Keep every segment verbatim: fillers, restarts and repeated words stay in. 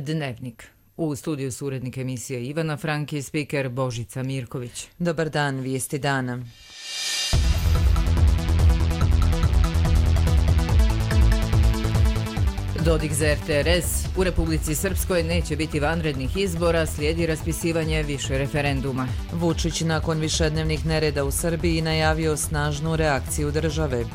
Dnevnik. U studiju su urednik emisije Ivana Frank i spiker Božica Mirković. Dobar dan, vijesti dana. Dodik za er te er es. U Republici Srpskoj neće biti vanrednih izbora, slijedi raspisivanje više referenduma. Vučić nakon višednevnih nereda u Srbiji najavio snažnu reakciju države.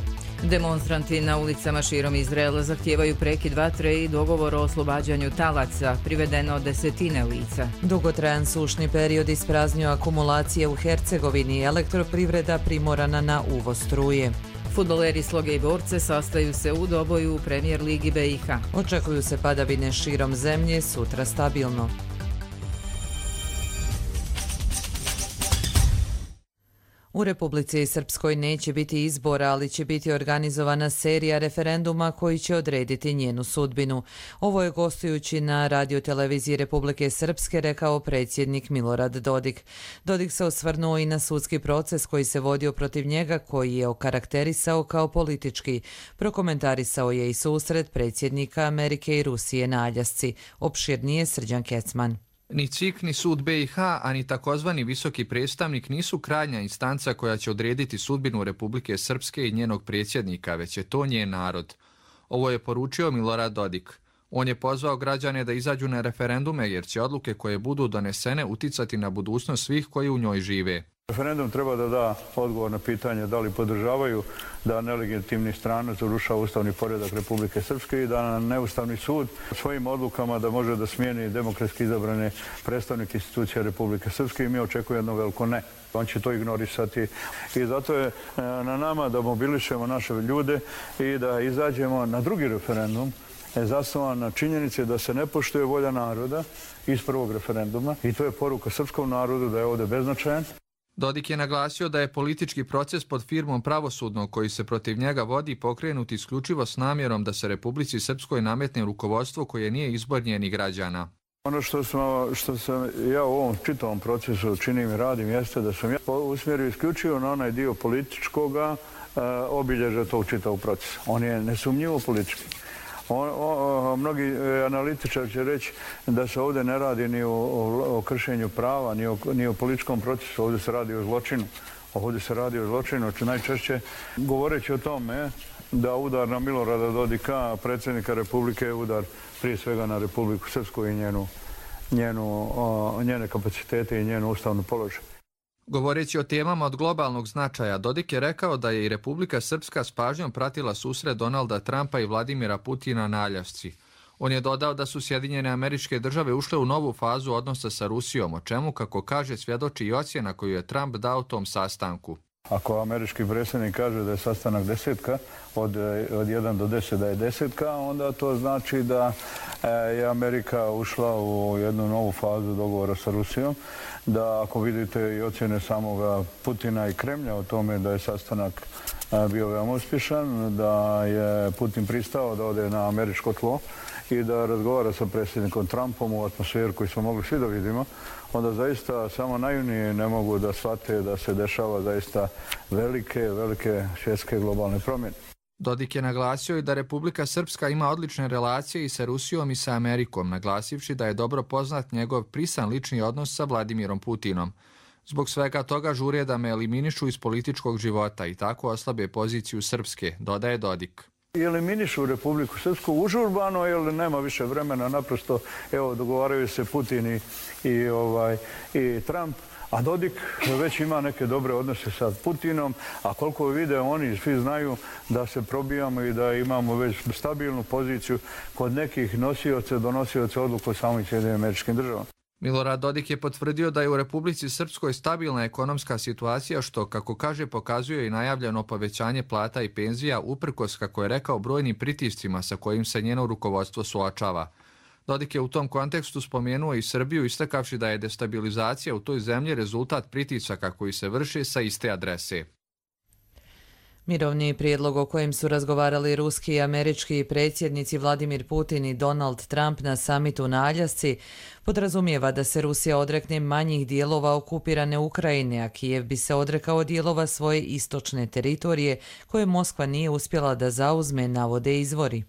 Demonstranti na ulicama širom Izraela zahtijevaju prekid vatre i dogovor o oslobađanju talaca, privedeno desetine lica. Dugotrajan sušni period ispraznio akumulacije u Hercegovini, elektroprivreda primorana na uvoz struje. Fudbaleri Sloge i Borce sastaju se u doboju u Premijer ligi be i ha. Očekuju se padavine širom zemlje, sutra stabilno. U Republici Srpskoj neće biti izbora, ali će biti organizovana serija referenduma koji će odrediti njenu sudbinu. Ovo je gostujući na radioteleviziji Republike Srpske rekao predsjednik Milorad Dodik. Dodik se osvrnuo i na sudski proces koji se vodio protiv njega, koji je okarakterisao kao politički. Prokomentarisao je i susret predsjednika Amerike i Rusije na Aljasci. Opširnije Srđan Kecman. Ni C I K, ni sud be i ha, a ni takozvani visoki predstavnik nisu krajnja instanca koja će odrediti sudbinu Republike Srpske i njenog predsjednika, već je to njen narod. Ovo je poručio Milorad Dodik. On je pozvao građane da izađu na referendume jer će odluke koje budu donesene uticati na budućnost svih koji u njoj žive. Referendum treba da da odgovor na pitanje da li podržavaju da nelegitimni stranac urušava ustavni poredak Republike Srpske i da neustavni sud svojim odlukama da može da smijeni demokratski izabrane predstavnike institucija Republike Srpske i mi očekujemo jedno veliko ne. On će to ignorisati i zato je na nama da mobilišemo naše ljude i da izađemo na drugi referendum je zasnovan na činjenici da se ne poštuje volja naroda iz prvog referenduma i to je poruka srpskom narodu da je ovdje beznačajan. Dodik je naglasio da je politički proces pod firmom pravosudnog koji se protiv njega vodi pokrenut isključivo s namjerom da se Republici Srpskoj nametne rukovodstvo koje nije izbor njenih građana. Ono što sam, što sam ja u ovom čitavom procesu činim i radim jeste da sam ja usmjerio isključivo na onaj dio političkoga uh, obilježja tog čitavog procesa. On je nesumnjivo politički. O, o, mnogi analitičari će reći da se ovdje ne radi ni o, o, o kršenju prava, ni o, ni o političkom procesu, ovdje se radi o zločinu. Ovdje se radi o zločinu, najčešće govoreći o tome da udar na Milorada Dodika, predsjednika Republike, je udar prije svega na Republiku Srpsku i njenu, njenu, o, njene kapacitete i njenu ustavnu položaj. Govoreći o temama od globalnog značaja, Dodik je rekao da je i Republika Srpska s pažnjom pratila susret Donalda Trumpa i Vladimira Putina na Aljasci. On je dodao da su Sjedinjene Američke Države ušle u novu fazu odnosa sa Rusijom, o čemu, kako kaže, svjedoči i ocjena koju je Trump dao tom sastanku. Ako američki predsjednik kaže da je sastanak desetka, od, od jedan do deset da je desetka, onda to znači da je Amerika ušla u jednu novu fazu dogovora sa Rusijom, da ako vidite i ocjene samoga Putina i Kremlja o tome da je sastanak bio veoma uspješan, da je Putin pristao da ode na američko tlo i da razgovara sa predsjednikom Trumpom u atmosferu koju smo mogli svi da vidimo, onda zaista samo najunije ne mogu da shvate da se dešava zaista velike, velike svjetske globalne promjene. Dodik je naglasio i da Republika Srpska ima odlične relacije i sa Rusijom i sa Amerikom, naglasivši da je dobro poznat njegov prisan lični odnos sa Vladimirom Putinom. Zbog svega toga žure da me eliminišu iz političkog života i tako oslabe poziciju Srpske, dodaje Dodik. Eliminišu Republiku Srpsku užurbano jer nema više vremena, naprosto evo dogovaraju se Putin i, i, ovaj, i Trump, a Dodik već ima neke dobre odnose sa Putinom, a koliko vide oni svi znaju da se probijamo i da imamo već stabilnu poziciju kod nekih nosioca, donosioca odluka o samim Sjedinjenim Američkim Državama. Milorad Dodik je potvrdio da je u Republici Srpskoj stabilna ekonomska situacija što, kako kaže, pokazuje i najavljeno povećanje plata i penzija uprkos, kako je rekao, brojnim pritiscima sa kojim se njeno rukovodstvo suočava. Dodik je u tom kontekstu spomenuo i Srbiju, istakavši da je destabilizacija u toj zemlji rezultat pritisaka koji se vrše sa iste adrese. Mirovni prijedlog o kojem su razgovarali ruski i američki predsjednici Vladimir Putin i Donald Trump na samitu na Aljasci podrazumijeva da se Rusija odrekne manjih dijelova okupirane Ukrajine, a Kijev bi se odrekao dijelova svoje istočne teritorije koje Moskva nije uspjela da zauzme, navode izvori.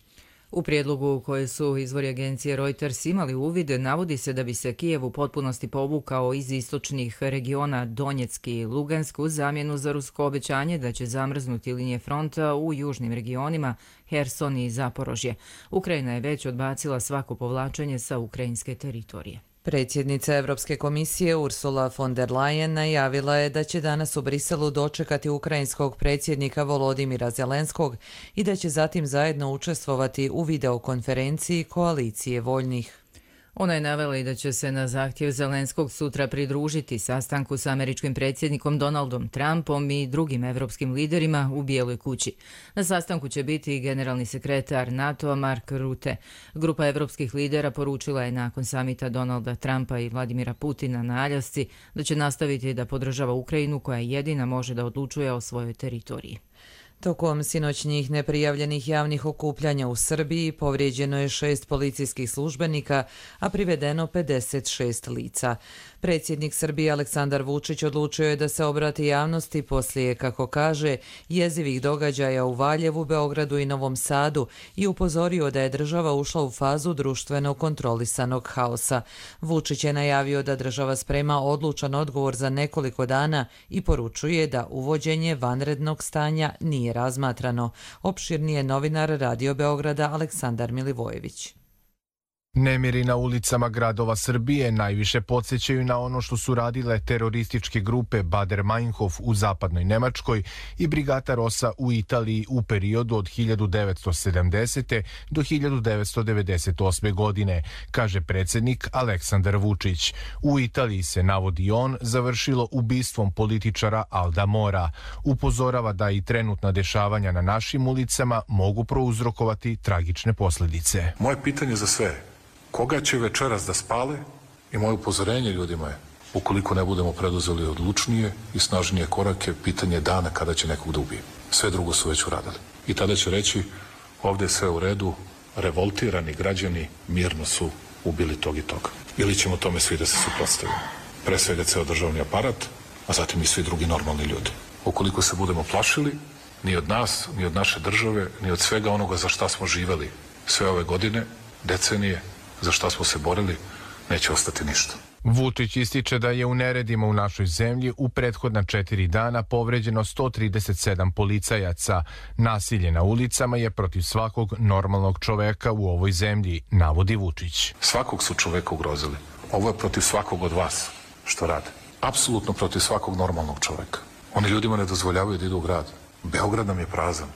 U prijedlogu koje su izvori agencije Reuters imali uvid, navodi se da bi se Kijev u potpunosti povukao iz istočnih regiona Donjeck i Lugansk u zamjenu za rusko obećanje da će zamrznuti linije fronta u južnim regionima Herson i Zaporožje. Ukrajina je već odbacila svako povlačenje sa ukrajinske teritorije. Predsjednica Europske komisije Ursula von der Leyen najavila je da će danas u Briselu dočekati ukrajinskog predsjednika Volodimira Zelenskog i da će zatim zajedno učestvovati u videokonferenciji koalicije voljnih. Ona je navela i da će se na zahtjev Zelenskog sutra pridružiti sastanku s američkim predsjednikom Donaldom Trumpom i drugim evropskim liderima u Bijeloj kući. Na sastanku će biti i generalni sekretar NATO-a Mark Rutte. Grupa evropskih lidera poručila je nakon samita Donalda Trumpa i Vladimira Putina na Aljasci da će nastaviti da podržava Ukrajinu koja jedina može da odlučuje o svojoj teritoriji. Tokom sinoćnjih neprijavljenih javnih okupljanja u Srbiji povrijeđeno je šest policijskih službenika, a privedeno pedeset šest lica. Predsjednik Srbije Aleksandar Vučić odlučio je da se obrati javnosti poslije, kako kaže, jezivih događaja u Valjevu, Beogradu i Novom Sadu i upozorio da je država ušla u fazu društveno kontrolisanog haosa. Vučić je najavio da država sprema odlučan odgovor za nekoliko dana i poručuje da uvođenje vanrednog stanja nije razmatrano. Opširnije novinar Radio Beograda Aleksandar Milivojević. Nemiri na ulicama gradova Srbije najviše podsjećaju na ono što su radile terorističke grupe Bader Meinhof u zapadnoj Nemačkoj i Brigata Rosa u Italiji u periodu od hiljadu devetsto sedamdesete. do hiljadu devetsto devedeset osme. godine, kaže predsjednik Aleksandar Vučić. U Italiji se, navodi on, završilo ubistvom političara Alda Mora. Upozorava da i trenutna dešavanja na našim ulicama mogu prouzrokovati tragične posljedice. Moje pitanje za sve: koga će večeras da spale? I moje upozorenje ljudima je: ukoliko ne budemo preduzeli odlučnije i snažnije korake, pitanje dana kada će nekog da ubije. Sve drugo su već uradili. I tada će reći: ovdje je sve u redu, revoltirani građani mirno su ubili tog i toga. Ili ćemo tome svi da se suprotstavimo. Pre svega ceo državni aparat, a zatim i svi drugi normalni ljudi. Ukoliko se budemo plašili, ni od nas, ni od naše države, ni od svega onoga za šta smo živeli sve ove godine, decenije, za šta smo se borili, neće ostati ništa. Vučić ističe da je u neredima u našoj zemlji u prethodna četiri dana povređeno sto trideset sedam policajaca. Nasilje na ulicama je protiv svakog normalnog čoveka u ovoj zemlji, navodi Vučić. Svakog su čoveka ugrozili. Ovo je protiv svakog od vas što rade. Apsolutno protiv svakog normalnog čoveka. Oni ljudima ne dozvoljavaju da idu u grad. Beograd nam je prazan.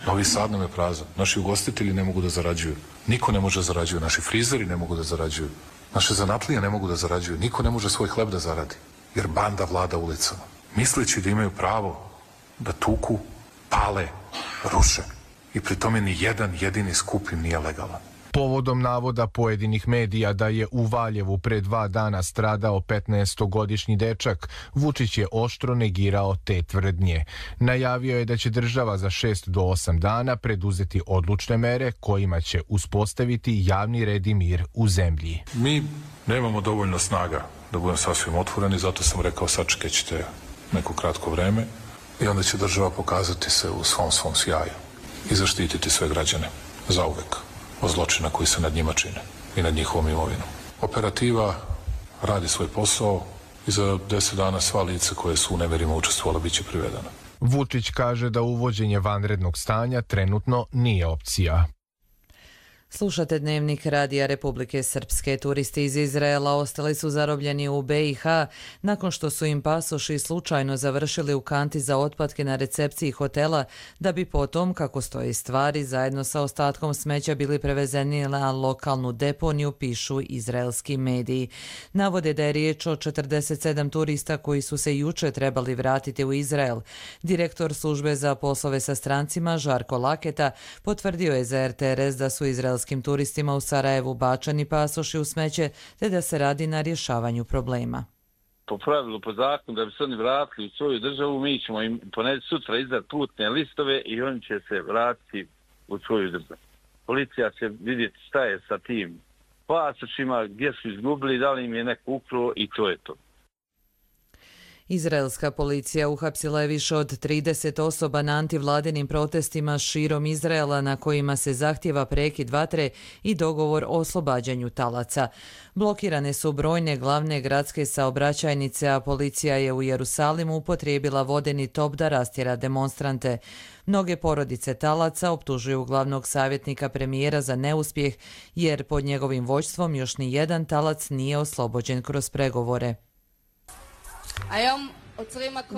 Novi Sad nam je prazan. Naši ugostitelji ne mogu da zarađuju. Niko ne može da zarađuju. Naši frizeri ne mogu da zarađuju. Naše zanatlije ne mogu da zarađuju. Niko ne može svoj hleb da zaradi. Jer banda vlada ulicama. Misleći da imaju pravo da tuku, pale, ruše. I pri tome ni jedan jedini skup im nije legalan. Povodom navoda pojedinih medija da je u Valjevu pre dva dana stradao petnaestogodišnji dečak, Vučić je oštro negirao te tvrdnje. Najavio je da će država za šest do osam dana preduzeti odlučne mere kojima će uspostaviti javni red i mir u zemlji. Mi nemamo dovoljno snaga da budem sasvim otvoreni, zato sam rekao sačekat ćete neko kratko vreme i onda će država pokazati se u svom svom sjaju i zaštititi sve građane zauvek od zločina koji se nad njima čine i nad njihovom imovinom. Operativa radi svoj posao i za deset dana sva lica koje su u nemerima učestvovala bit će privedena. Vučić kaže da uvođenje vanrednog stanja trenutno nije opcija. Slušate Dnevnik Radija Republike Srpske. Turisti iz Izraela ostali su zarobljeni u be i ha nakon što su im pasoši slučajno završili u kanti za otpadke na recepciji hotela, da bi potom, kako stoji stvari, zajedno sa ostatkom smeća bili prevezeni na lokalnu deponiju, pišu izraelski mediji. Navode da je riječ o četrdeset sedam turista koji su se juče trebali vratiti u Izrael. Direktor službe za poslove sa strancima Žarko Laketa potvrdio je za er te er es da su izraelski turistima u Sarajevu bačani pasoši u smeće, te da se radi na rješavanju problema. Po pravilu, po zakonu, da bi se oni vratili u svoju državu, mi ćemo im ponedjeljak sutra izdati putne listove i oni će se vratiti u svoju državu. Policija će vidjeti šta je sa tim pasošima, gdje su izgubili, da li im je neko ukrao i to je to. Izraelska policija uhapsila je više od trideset osoba na antivladinim protestima širom Izraela na kojima se zahtjeva prekid vatre i dogovor o oslobađanju talaca. Blokirane su brojne glavne gradske saobraćajnice, a policija je u Jerusalimu upotrijebila vodeni top da rastjera demonstrante. Mnoge porodice talaca optužuju glavnog savjetnika premijera za neuspjeh, jer pod njegovim vođstvom još ni jedan talac nije oslobođen kroz pregovore.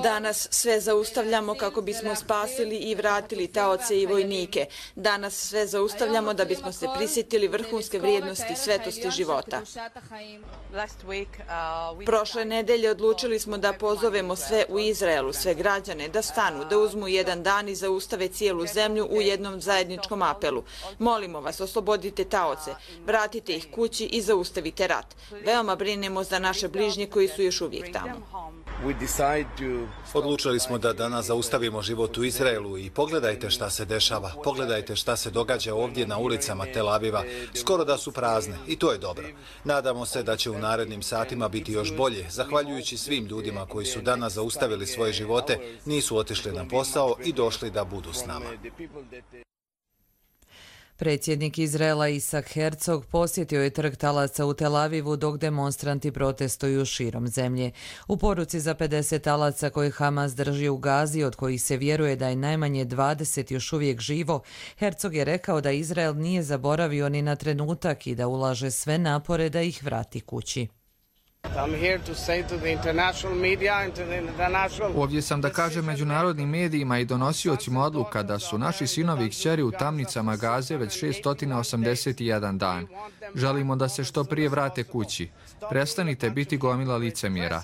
Danas sve zaustavljamo kako bismo spasili i vratili taoce i vojnike. Danas sve zaustavljamo da bismo se prisjetili vrhunske vrijednosti svetosti života. Prošle nedelje odlučili smo da pozovemo sve u Izraelu, sve građane, da stanu, da uzmu jedan dan i zaustave cijelu zemlju u jednom zajedničkom apelu. Molimo vas, oslobodite taoce, vratite ih kući i zaustavite rat. Veoma brinemo za naše bližnje koji su još uvijek tamo. Odlučili smo da danas zaustavimo život u Izraelu i pogledajte šta se dešava. Pogledajte šta se događa ovdje na ulicama Tel Aviva. Skoro da su prazne i to je dobro. Nadamo se da će u narednim satima biti još bolje, zahvaljujući svim ljudima koji su danas zaustavili svoje živote, nisu otišli na posao i došli da budu s nama. Predsjednik Izraela Isak Herzog posjetio je trg talaca u Tel Avivu dok demonstranti protestuju širom zemlje. U poruci za pedeset talaca koje Hamas drži u Gazi, od kojih se vjeruje da je najmanje dvadeset još uvijek živo, Herzog je rekao da Izrael nije zaboravio ni na trenutak i da ulaže sve napore da ih vrati kući. Ovdje sam da kažem međunarodnim medijima i donosiocima odluka da su naši sinovi i kćeri u tamnicama Gaze već šesto osamdeset jedan dan. Želimo da se što prije vrate kući. Prestanite biti gomila licemjera.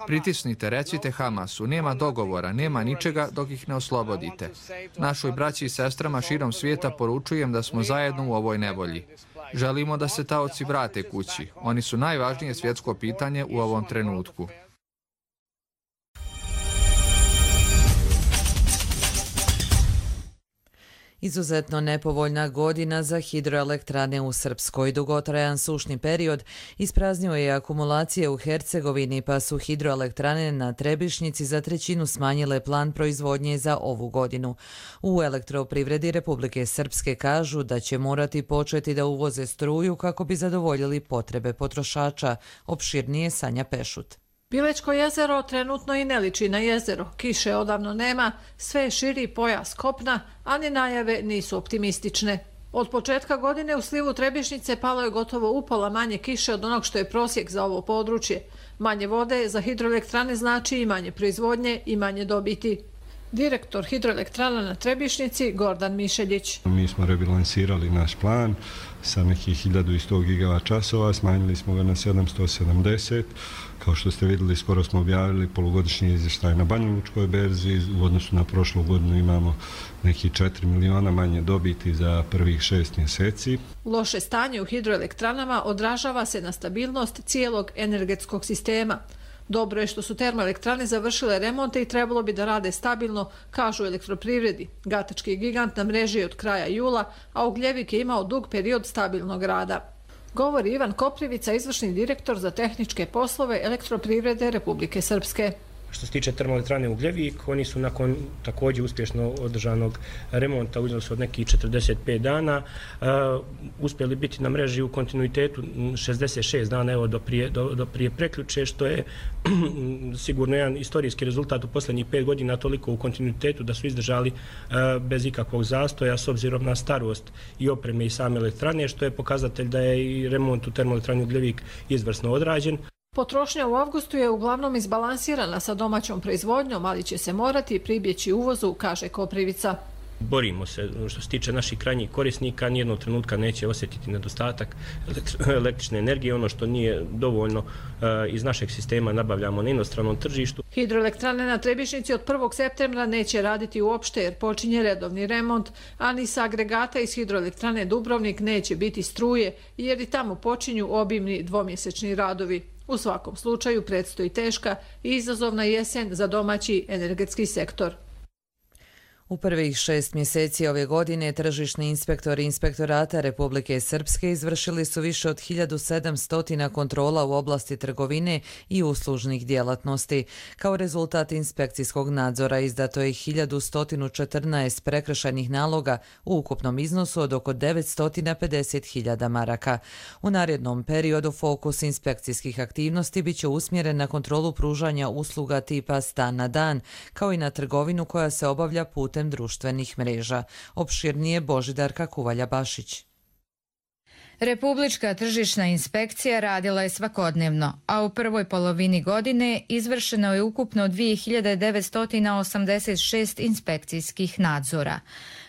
Pritisnite, recite Hamasu, nema dogovora, nema ničega dok ih ne oslobodite. Našoj braći i sestrama širom svijeta poručujem da smo zajedno u ovoj nevolji. Želimo da se taoci vrate kući. Oni su najvažnije svjetsko pitanje u ovom trenutku. Izuzetno nepovoljna godina za hidroelektrane u Srpskoj. Dugotrajan sušni period ispraznio je akumulacije u Hercegovini, pa su hidroelektrane na Trebišnjici za trećinu smanjile plan proizvodnje za ovu godinu. U Elektroprivredi Republike Srpske kažu da će morati početi da uvoze struju kako bi zadovoljili potrebe potrošača. Opširnije Sanja Pešut. Bilečko jezero trenutno i ne liči na jezero. Kiše odavno nema, sve je širi pojas kopna, a ni najave nisu optimistične. Od početka godine u slivu Trebišnjice palo je gotovo upola manje kiše od onog što je prosjek za ovo područje. Manje vode za hidroelektrane znači i manje proizvodnje i manje dobiti. Direktor hidroelektrana na Trebišnjici Gordan Mišeljić. Mi smo rebalansirali naš plan sa nekih hiljadu sto gigavat časova, smanjili smo ga na sedamsto sedamdeset. Kao što ste vidjeli, skoro smo objavili polugodišnji izvještaj na Banjalučkoj berzi. U odnosu na prošlu godinu imamo neki četiri miliona manje dobiti za prvih šest mjeseci. Loše stanje u hidroelektranama odražava se na stabilnost cijelog energetskog sistema. Dobro je što su termoelektrane završile remonte i trebalo bi da rade stabilno, kažu Elektroprivredi. Gatački gigant na mreži je od kraja jula, a Ugljevik je imao dug period stabilnog rada. Govori Ivan Koprivica, izvršni direktor za tehničke poslove Elektroprivrede Republike Srpske. Što se tiče termoelektrane Ugljevik, oni su nakon također uspješno održanog remonta, uzeli su od nekih četrdeset pet dana, uh, uspjeli biti na mreži u kontinuitetu šezdeset šest dana, evo do prije, do, do prije preključe, što je sigurno jedan istorijski rezultat u posljednjih pet godina, toliko u kontinuitetu da su izdržali uh, bez ikakvog zastoja s obzirom na starost i opreme i same elektrane, što je pokazatelj da je i remont u termoelektrani Ugljevik izvrsno odrađen. Potrošnja u avgustu je uglavnom izbalansirana sa domaćom proizvodnjom, ali će se morati pribjeći uvozu, kaže Koprivica. Borimo se, što se tiče naših krajnjih korisnika, nijednog trenutka neće osjetiti nedostatak električne energije. Ono što nije dovoljno iz našeg sistema nabavljamo na inostranom tržištu. Hidroelektrane na Trebišnjici od prvog septembra neće raditi uopšte jer počinje redovni remont, a ni sa agregata iz hidroelektrane Dubrovnik neće biti struje jer i tamo počinju obimni dvomjesečni radovi. U svakom slučaju predstoji teška i izazovna jesen za domaći energetski sektor. U prvih šest mjeseci ove godine tržišni inspektori Inspektorata Republike Srpske izvršili su više od hiljadu sedamsto kontrola u oblasti trgovine i uslužnih djelatnosti. Kao rezultat inspekcijskog nadzora izdato je hiljadu sto četrnaest prekršajnih naloga u ukupnom iznosu od oko devetsto pedeset hiljada maraka. U narednom periodu fokus inspekcijskih aktivnosti biće usmjeren na kontrolu pružanja usluga tipa stan na dan, kao i na trgovinu koja se obavlja putem društvenih mreža. Opširnije Božidarka Kuvalja-Bašić. Republička tržišna inspekcija radila je svakodnevno, a u prvoj polovini godine izvršeno je ukupno dvije hiljade devetsto osamdeset šest inspekcijskih nadzora.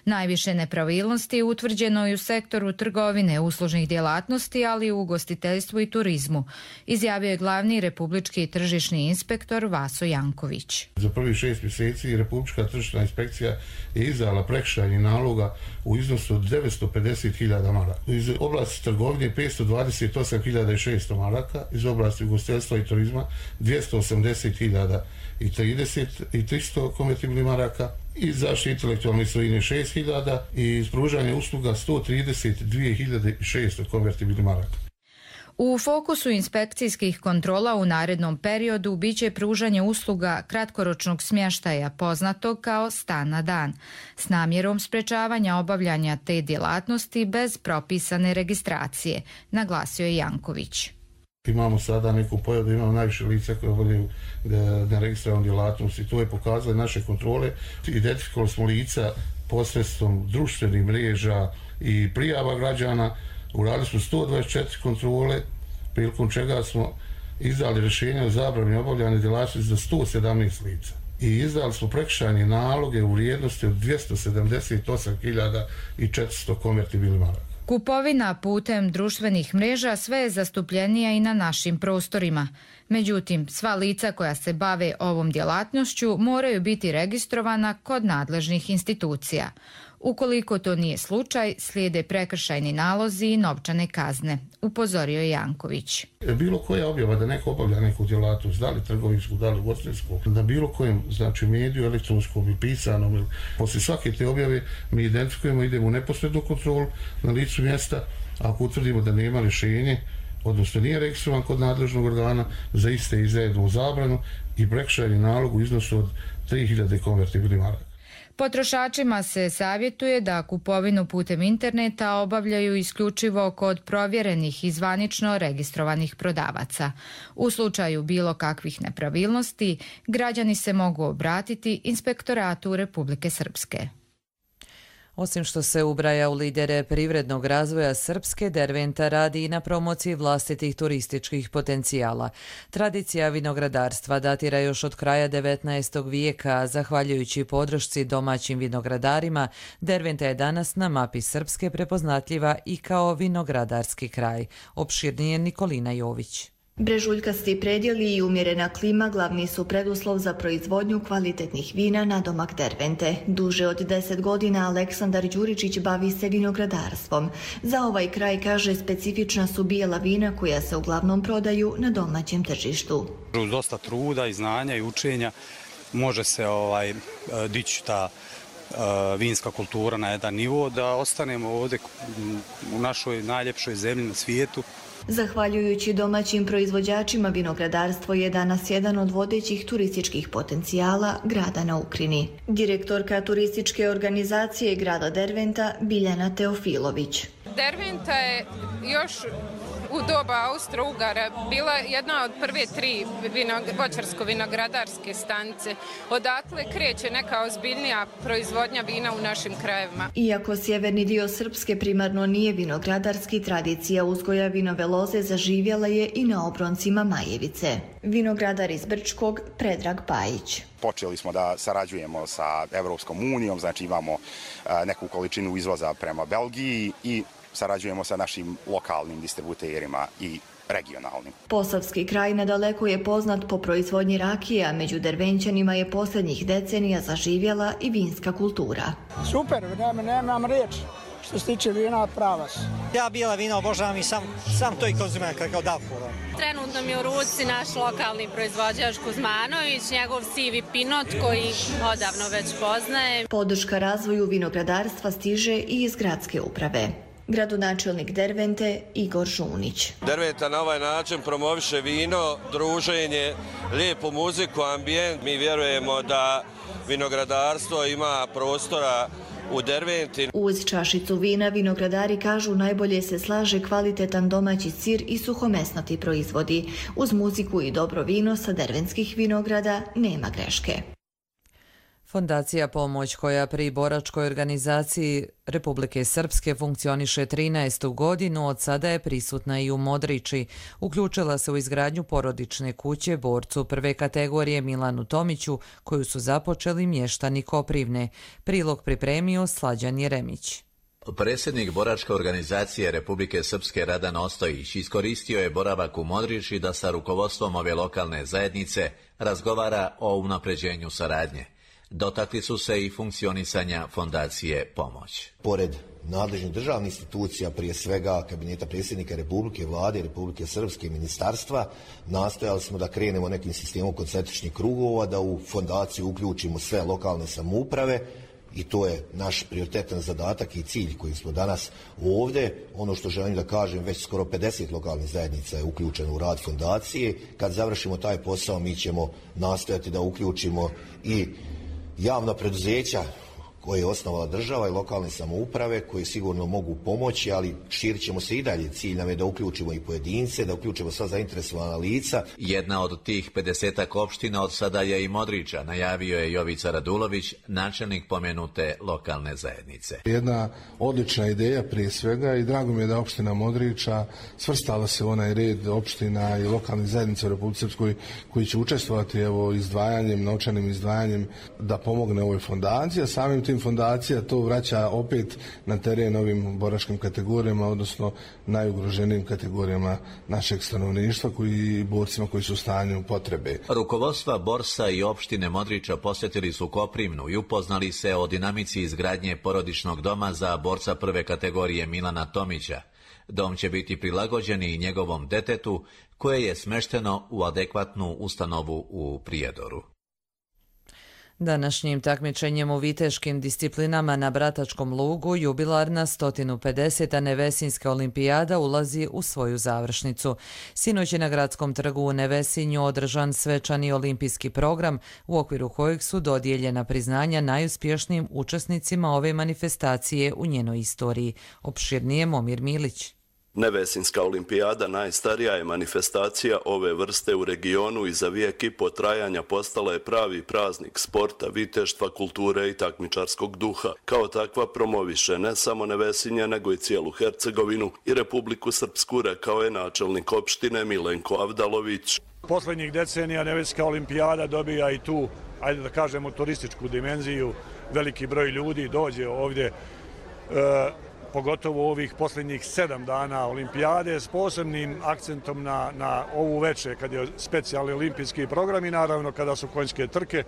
Najviše nepravilnosti utvrđeno je u sektoru trgovine, uslužnih djelatnosti, ali i u ugostiteljstvu i turizmu, izjavio je glavni republički tržišni inspektor Vaso Janković. Za prvih šest mjeseci Republička tržišna inspekcija je izdala prekršajnih naloga u iznosu od devetsto pedeset hiljada maraka. Iz oblasti trgovine petsto dvadeset osam hiljada šesto maraka, iz oblasti ugostiteljstva i turizma dvjesto osamdeset hiljada i tristo konvertibilnih maraka, iz zaštite intelektualne svojine šest hiljada i iz pružanja usluga sto trideset dvije hiljade šesto konvertibilnih maraka. U fokusu inspekcijskih kontrola u narednom periodu biće pružanje usluga kratkoročnog smještaja poznatog kao stan na dan, s namjerom sprečavanja obavljanja te djelatnosti bez propisane registracije, naglasio je Janković. Imamo sada neku pojavu da imamo najviše lica koje obavljaju neregistrovanu djelatnost i to je pokazalo naše kontrole. Identifikovali smo lica posredstvom društvenih mreža i prijava građana. Uradili smo sto dvadeset četiri kontrole, prilikom čega smo izdali rješenje o zabrani obavljanja djelatnosti za sto sedamnaest lica. I izdali smo prekršajne naloge u vrijednosti od dvjesto sedamdeset osam hiljada četiristo konvertibilnih maraka. Kupovina putem društvenih mreža sve je zastupljenija i na našim prostorima. Međutim, sva lica koja se bave ovom djelatnošću moraju biti registrovana kod nadležnih institucija. Ukoliko to nije slučaj, slijede prekršajni nalozi i novčane kazne, upozorio je Janković. Bilo koja objava da neko obavlja neku djelatnost, da li trgovinsku, da li ugostiteljsku, na bilo kojem znači mediju, elektronskom i pisanom, poslije svake te objave mi identifikujemo, idemo u neposrednu kontrolu na licu mjesta, ako utvrdimo da nema rješenje, odnosno nije registrovan kod nadležnog organa, za iste izdajednu zabranu i prekršajni nalog u iznosu od tri hiljade konvertibilnih maraka. Potrošačima se savjetuje da kupovinu putem interneta obavljaju isključivo kod provjerenih i zvanično registrovanih prodavaca. U slučaju bilo kakvih nepravilnosti, građani se mogu obratiti Inspektoratu Republike Srpske. Osim što se ubraja u lidere privrednog razvoja Srpske, Derventa radi i na promociji vlastitih turističkih potencijala. Tradicija vinogradarstva datira još od kraja devetnaestog vijeka. Zahvaljujući podršci domaćim vinogradarima, Derventa je danas na mapi Srpske prepoznatljiva i kao vinogradarski kraj. Opširnije Nikolina Jović. Brežuljkasti predjeli i umjerena klima glavni su preduslov za proizvodnju kvalitetnih vina na domak Dervente. Duže od deset godina Aleksandar Đuričić bavi se vinogradarstvom. Za ovaj kraj, kaže, specifična su bijela vina koja se uglavnom prodaju na domaćem tržištu. Uz dosta truda i znanja i učenja može se ovaj, dići ta uh, vinska kultura na jedan nivo da ostanemo ovdje u našoj najljepšoj zemlji na svijetu. Zahvaljujući domaćim proizvođačima, vinogradarstvo je danas jedan od vodećih turističkih potencijala grada na Ukrini. Direktorka turističke organizacije grada Derventa Biljana Teofilović. Derventa je još u doba Austro-Ugara bila jedna od prve tri voćarsko-vinogradarske stanice. Odatle kreće neka ozbiljnija proizvodnja vina u našim krajevima. Iako sjeverni dio Srpske primarno nije vinogradarski, tradicija uzgoja vinove loze zaživjela je i na obroncima Majevice. Vinogradar iz Brčkog Predrag Pajić. Počeli smo da sarađujemo sa Evropskom unijom, znači imamo neku količinu izvoza prema Belgiji i sarađujemo sa našim lokalnim distributerima i regionalnim. Posavski kraj nedaleko je poznat po proizvodnji rakije, a među Dervenčanima je posljednjih decenija zaživjela i vinska kultura. Super, nemam riječ. što se tiče vina, prava su. Ja bijela vina obožavam i sam, sam to i konzumiram kao Davor. Trenutno mi je u ruci naš lokalni proizvođač Kuzmanović, njegov sivi pinot koji odavno već poznaje. Podrška razvoju vinogradarstva stiže i iz gradske uprave. Gradonačelnik Dervente Igor Žunić. Derventa na ovaj način promoviše vino, druženje, lijepu muziku, ambijent. Mi vjerujemo da vinogradarstvo ima prostora u Derventi. Uz čašicu vina vinogradari kažu najbolje se slaže kvalitetan domaći sir i suhomesnati proizvodi. Uz muziku i dobro vino sa dervenskih vinograda nema greške. Fondacija Pomoć, koja pri boračkoj organizaciji Republike Srpske funkcioniše trinaestu godinu, od sada je prisutna i u Modriči. Uključila se u izgradnju porodične kuće borcu prve kategorije Milanu Tomiću, koju su započeli mještani Koprivne. Prilog pripremio Slađan Jeremić. Predsjednik boračke organizacije Republike Srpske Radan Ostojić iskoristio je boravak u Modriči da sa rukovodstvom ove lokalne zajednice razgovara o unapređenju saradnje. Dotakli su se i funkcionisanja Fondacije Pomoć. Pored nadležnih državnih institucija, prije svega Kabineta predsjednika Republike, Vlade Republike Srpske i ministarstva, nastojali smo da krenemo nekim sistemom koncentričnih krugova, da u fondaciju uključimo sve lokalne samouprave i to je naš prioritetan zadatak i cilj koji smo danas ovdje. Ono što želim da kažem, već skoro pedeset lokalnih zajednica je uključeno u rad fondacije. Kad završimo taj posao, mi ćemo nastojati da uključimo i javna preduzeća koje je osnovala država i lokalne samouprave, koje sigurno mogu pomoći, ali širit ćemo se i dalje. Cilj nam je da uključimo i pojedince, da uključimo sva zainteresovana lica. Jedna od tih pedesetak opština od sada je i Modriča, najavio je Jovica Radulović, načelnik pomenute lokalne zajednice. Jedna odlična ideja prije svega i drago mi je da opština Modriča svrstala se u onaj red opština i lokalnih zajednica u Republici Srpskoj koji će učestvovati evo izdvajanjem, novčanim izdvajanjem da pomogne ovoj fondaciji, a samim tim fondacija to vraća opet na teren ovim boračkim kategorijama, odnosno najugroženijim kategorijama našeg stanovništva koji borcima koji su u stanju potrebe. Rukovodstva Borsa i opštine Modriča posjetili su Koprivnu i upoznali se o dinamici izgradnje porodičnog doma za borca prve kategorije Milana Tomića. Dom će biti prilagođen i njegovom detetu koje je smešteno u adekvatnu ustanovu u Prijedoru. Današnjim takmičenjem u viteškim disciplinama na Bratačkom lugu jubilarna sto pedeseta Nevesinjska olimpijada ulazi u svoju završnicu. Sinoć je na Gradskom trgu u Nevesinju održan svečani olimpijski program u okviru kojeg su dodijeljena priznanja najuspješnijim učesnicima ove manifestacije u njenoj istoriji. Opširnije Momir Milić. Nevesinjska olimpijada najstarija je manifestacija ove vrste u regionu i za vijek i po trajanja postala je pravi praznik sporta, viteštva, kulture i takmičarskog duha. Kao takva promoviše ne samo Nevesinje, nego i cijelu Hercegovinu i Republiku Srpsku, rekao je načelnik opštine Milenko Avdalović. Poslednjih decenija Nevesinjska olimpijada dobija i tu, ajde da kažemo, turističku dimenziju. Veliki broj ljudi dođe ovdje, e, pogotovo ovih posljednjih sedam dana olimpijade, s posebnim akcentom na, na ovu večer, kad je specijalni olimpijski program i naravno kada su konjske trke.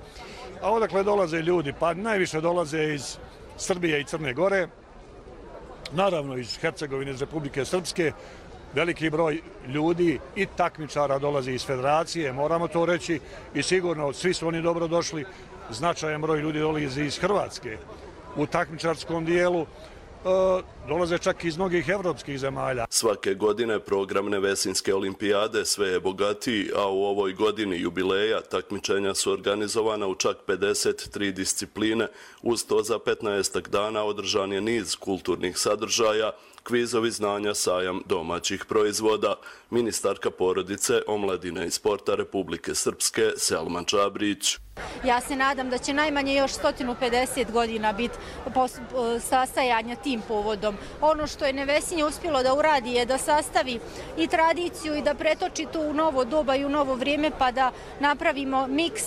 A odakle dolaze ljudi? Pa najviše dolaze iz Srbije i Crne Gore, naravno iz Hercegovine, iz Republike Srpske. Veliki broj ljudi i takmičara dolazi iz federacije, moramo to reći, i sigurno svi su oni dobro došli. Značajan broj ljudi dolazi iz Hrvatske u takmičarskom dijelu. Dolaze čak iz mnogih evropskih zemalja. Svake godine program Nevesinjske olimpijade sve je bogatiji, a u ovoj godini jubileja takmičenja su organizovana u čak pedeset tri discipline. Uz to za petnaestak dana održan je niz kulturnih sadržaja, kvizovi znanja, sajam domaćih proizvoda. Ministarka porodice, omladine i sporta Republike Srpske Selman Čabrić. Ja se nadam da će najmanje još sto pedeset godina biti sastajanja tim povodom. Ono što je Nevesinje uspjelo da uradi je da sastavi i tradiciju i da pretoči to u novo doba i u novo vrijeme, pa da napravimo miks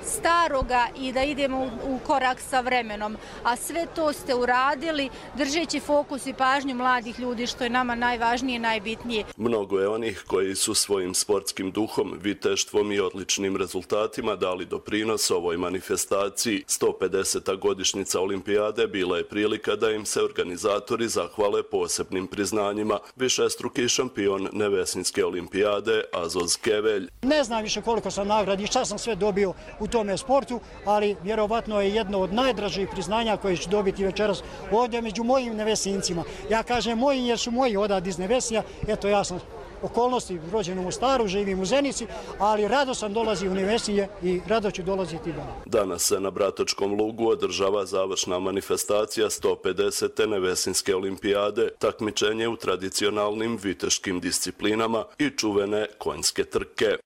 staroga i da idemo u korak sa vremenom. A sve to ste uradili držeći fokus i pažnju mladih ljudi, što je nama najvažnije i najbitnije. Mnogo je onih koji su svojim sportskim duhom, viteštvom i odličnim rezultatima dali doprinos doprinos ovoj manifestaciji. sto pedeseta godišnjica olimpijade bila je prilika da im se organizatori zahvale posebnim priznanjima. Višestruki šampion Nevesinjske olimpijade Azoz Kevelj. Ne znam više koliko sam nagradi i šta sam sve dobio u tome sportu, ali vjerovatno je jedno od najdražih priznanja koje ću dobiti večeras ovdje među mojim Nevesincima. Ja kažem moji jer su moji odad iz Nevesinja, eto ja sam okolnosti rođen u Mostaru, živim u Zenici, ali rado sam dolazi u Nevesinje i rado ću dolaziti dalje. Danas se na Bratočkom lugu održava završna manifestacija sto pedesete Nevesinjske olimpijade, takmičenje u tradicionalnim viteškim disciplinama i čuvene konjske trke.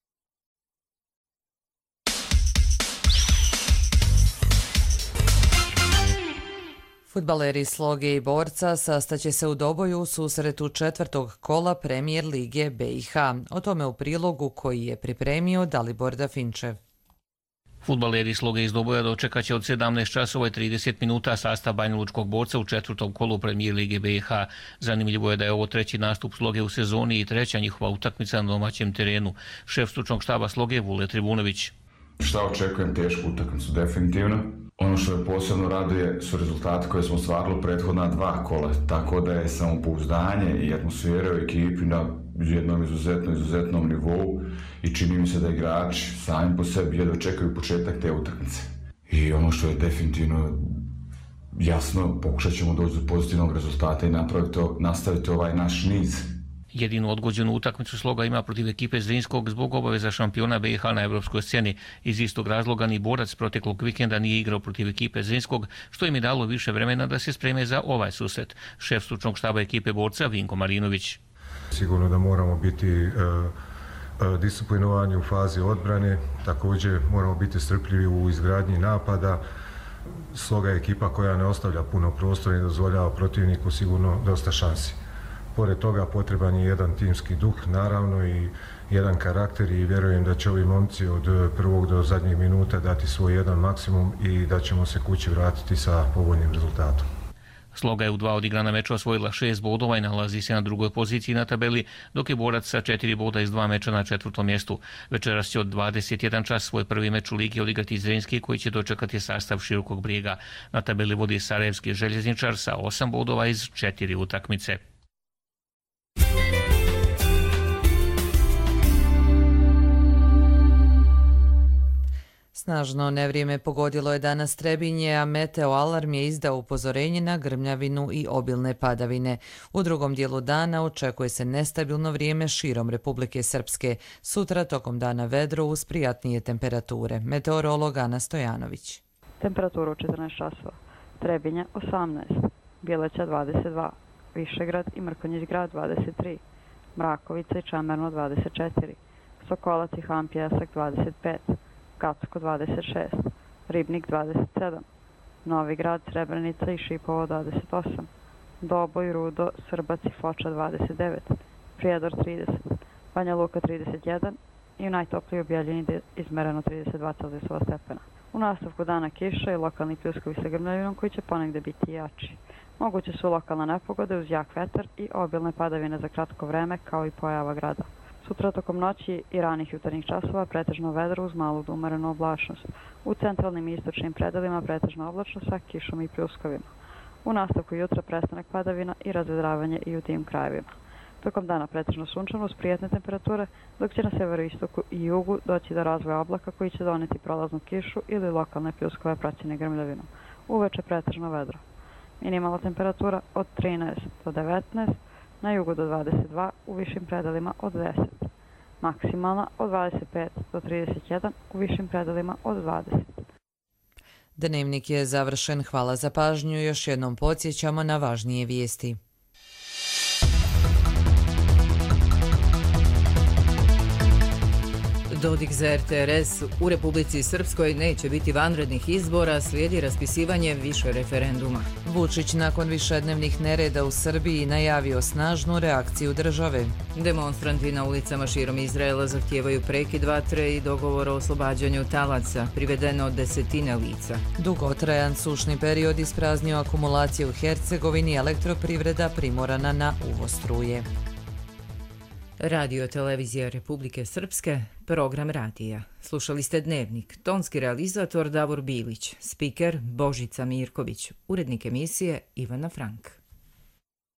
Fudbaleri Sloge i Borca sastaće se u Doboju u susretu četvrtog kola Premijer Lige B i H. O tome u prilogu koji je pripremio Dalibor Dafinčev. Fudbaleri Sloge iz Doboja dočekaće od sedamnaest časova i trideset minuta sastav Banjalučkog Borca u četvrtom kolu Premijer Lige B i H. Zanimljivo je da je ovo treći nastup Sloge u sezoni i treća njihova utakmica na domaćem terenu. Šef stručnog štaba Sloge Vule Tribunović. Šta očekujem? Tešku utakmicu definitivno. Ono što je posebno raduje su rezultati koje smo ostvarili u prethodna dva kola, tako da je samopouzdanje i atmosfera u ekipi na jednom izuzetno, izuzetnom nivou i čini mi se da igrači sami po sebi jedva čekaju početak te utakmice. I ono što je definitivno jasno, pokušat ćemo doći do pozitivnog rezultata i napraviti, nastaviti ovaj naš niz. Jedinu odgođenu utakmicu Sloga ima protiv ekipe Zrinskog zbog obaveza šampiona B i H na evropskoj sceni. Iz istog razloga ni Borac proteklog vikenda nije igrao protiv ekipe Zrinskog, što im je dalo više vremena da se spreme za ovaj susret. Šef stručnog štaba ekipe Borca Vinko Marinović. Sigurno da moramo biti e, e, disciplinovani u fazi odbrane, također moramo biti strpljivi u izgradnji napada. Sloga je ekipa koja ne ostavlja puno prostora i dozvoljava protivniku sigurno dosta šansi. Pored toga potreban je jedan timski duh, naravno, i jedan karakter i vjerujem da će ovi momci od prvog do zadnjeg minuta dati svoj jedan maksimum i da ćemo se kući vratiti sa povoljnim rezultatom. Sloga je u dva odigrana meča osvojila šest bodova i nalazi se na drugoj poziciji na tabeli, dok je Borac sa četiri boda iz dva meča na četvrtom mjestu. Večeras će od dvadeset jedan čas svoj prvi meč u ligi odigrati Zrinski, koji će dočekati sastav Širokog Brijega. Na tabeli vodi Sarajevski željezničar sa osam bodova iz četiri utakmice. Snažno nevrijeme pogodilo je danas Trebinje, a Meteo Alarm je izdao upozorenje na grmljavinu i obilne padavine. U drugom dijelu dana očekuje se nestabilno vrijeme širom Republike Srpske. Sutra tokom dana vedro uz prijatnije temperature. Meteorolog Ana Stojanović. Temperaturu četrnaest časova. Trebinje osamnaest, Bjeleća dvadeset dva, Višegrad i Mrkonjić grad dvadeset tri, Mrakovica i Čemerno dvadeset četiri, Sokolac i Han Pjesak dvadeset pet, Kacko dvadeset šest, Ribnik dvadeset sedam, Novi Grad, Srebrenica i Šipovo dvadeset osam, Doboj, Rudo, Srbac i Foča dvadeset devet, Prijedor trideset, Banja Luka trideset jedan i u najtopliji u Bijeljini izmereno trideset dva Celzijusova stepena. U nastavku dana kiša i lokalni pljuskovi sa grmljavinom koji će ponegde biti jači. Moguće su lokalne nepogode uz jak vetar i obilne padavine za kratko vreme kao i pojava grada. Sutra tokom noći i ranih jutarnjih časova pretežno vedro uz malu do umerenu oblačnost. U centralnim i istočnim predelima pretežno oblačno sa kišom i pljuskovima. U nastavku jutra prestanak padavina i razvedravanje i u tim krajevima. Tokom dana pretežno sunčano uz prijatne temperature, dok će na severoistoku i jugu doći do razvoja oblaka koji će doneti prolaznu kišu ili lokalne pljuskove praćene grmljavinom. Uveče pretežno vedro. Minimalna temperatura od trinaest do devetnaest, na jugu do dvadeset dva, u višim predelima od deset. Maksimalna od dvadeset pet do trideset jedan, u višim predelima od dvadeset. Dnevnik je završen. Hvala za pažnju. Još jednom podsjećamo na važnije vijesti. Dodik za R T R S. U Republici Srpskoj neće biti vanrednih izbora, slijedi raspisivanje više referenduma. Vučić nakon višednevnih nereda u Srbiji najavio snažnu reakciju države. Demonstranti na ulicama širom Izraela zahtijevaju prekid vatre i dogovor o oslobađanju talaca, privedeno desetine lica. Dugotrajan sušni period ispraznio akumulacije u Hercegovini, elektroprivreda primorana na uvoz struje. Radio Televizija Republike Srpske, program radija. Slušali ste Dnevnik, tonski realizator Davor Bilić, spiker Božica Mirković, urednik emisije Ivana Frank.